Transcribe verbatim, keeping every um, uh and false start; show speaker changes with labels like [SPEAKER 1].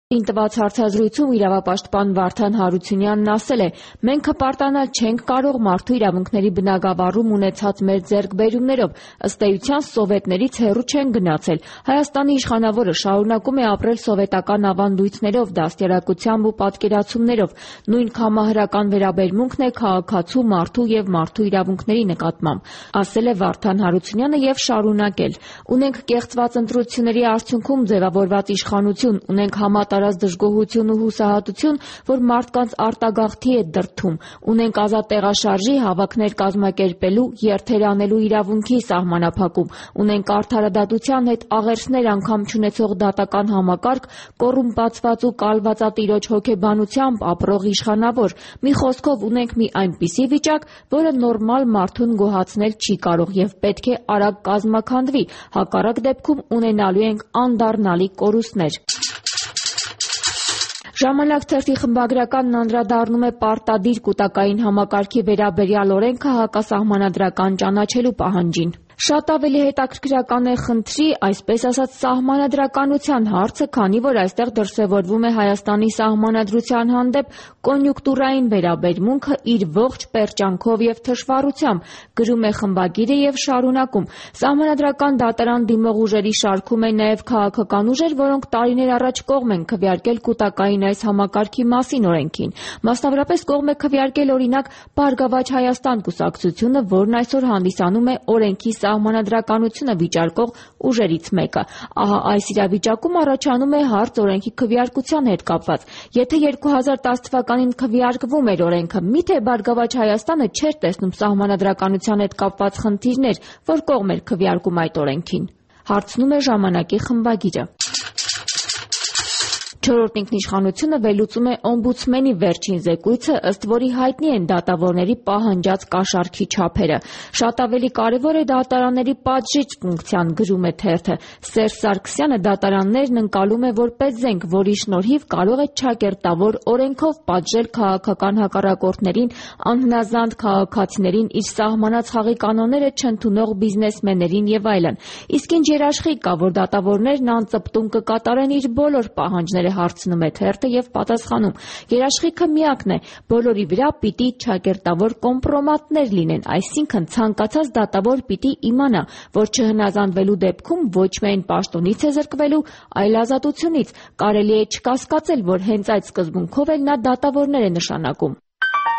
[SPEAKER 1] Ին տված հարցազրույցում իրավապաշտպան Վարդան Հարությունյանն ասել է. «Մենք հպարտանալ չենք կարող մարդու իրավունքների բնագավառում ունեցած մեր ձեռքբերումներով, ըստ էության սովետներից հեռու չեն գնացել։ Հայաստանի իշխանավորը շարունակում է ապրել սովետական ավանդույթներով, դաստիարակությամբ ու պատկերացումներով։ Նույն կամահրական վերաբերմունքն է քաղաքացու, մարդու եւ մարդու իրավունքների նկատմամբ», ասել է Վարդան Հարությունյանը եւ շարունակել. «Ունենք կեղծված ընտրությունների արդյունքում ձևավորված իշխանություն, ունենք համատարած դժգոհություն ու հուսահատություն, որ մարդկանց արտագաղթի է դրդում, ունենք ազատ տեղաշարժի, հավաքներ կազմակերպելու, երթեր անելու իրավունքի սահմանափակում, ունենք արդարադատության հետ աղերսներ անգամ չունեցող դատական համակարգ, կոռումպացված ու կալվածատիրոջ հոգեբանությամբ ապրող իշխանավոր։ Մի խոսքով ունենք մի այնպիսի վիճակ, որը նորմալ մարդուն գոհացնել չի կարող եւ պետք է արագ կազմաքանդվի, հակառակ դեպքում ունենալու ենք անդառնալի կորուստներ»։ «Ժամանակ» թերթի խմբագրականն անդրադառնում է պարտադիր կուտակային համակարգի վերաբերյալ օրենքը հակասահմանադրական ճանաչելու պահանջին. «Շատ ավելի հետաքրքրական է խնդրի, այսպես ասած, սահմանադրականության հարցը, քանի որ այստեղ դրսևորվում է Հայաստանի Սահմանադրության հանդեպ կոնյուկտուրային վերաբերմունքը իր ողջ պերճանքով եւ թշվառությամբ», գրում է խմբագիրը եւ շարունակում. «Սահմանադրական դատարան դիմող ուժերի շարքում է նաեւ քաղաքական ուժեր, որոնք տարիներ առաջ կողմ են քվեարկել կուտակային այս համակարգի մասին օրենքին։ Մասնավորապես կողմ է քվեարկել օրինակ Բարգավաճ Հայաստան կուսակցությունը, որն այսօր հանդիսանում է օրենքի սահմանադրականությունը վիճարկող ուժերից մեկը։ Ահա այս իրավիճակում առաջանում է հարց օրենքի քվեարկության հետ կապված։ Եթե երկու հազար տաս թվականին քվեարկվում էր օրենքը, միթե Բարգավաճ Հայաստանը չէր տեսնում սահմանադրականության հետ կապված խնդիրներ, որ կողմ էր քվեարկում այդ օրենքին», հարցնում է «Ժամանակ»-ի խմբագիրը։ «Չորրորդ ինքնիշխանությունը» վերլուծում է օմբուդսմենի վերջին զեկույցը, ըստ որի հայտնի են դատավորների պահանջած կաշառքի չափերը։ «Շատ ավելի կարևոր է դատարանների պատժիչ ֆունկցիան», գրում է թերթը։ Սերժ Սարգսյանը դատարաններն ընկալում է որպես զենք, որի շնորհիվ կարող է չակերտավոր օրենքով պատժել քաղաքական հակառակորդներին, անհնազանդ քաղաքացիներին, իր սահմանած խաղի կանոնները չընդունող բիզնեսմեններին եւ այլն։ Իսկ ինչ երաշխիք կա, որ դատավորներն անծպտուն կկատարեն իր բոլոր պահանջները, հարցնում է թերթը եւ պատասխանում. «Երաշխիքը միակն է, բոլորի վրա պիտի չակերտավոր կոմպրոմատներ լինեն, այսինքն ցանկացած դատավոր պիտի իմանա, որ չհնազանդվելու դեպքում ոչ միայն պաշտոնից է զրկվելու, այլ ազատությունից։ Կարելի է չկասկածել, որ հենց այդ սկզբունքով էլ նա դատավորներ է նշանակում»։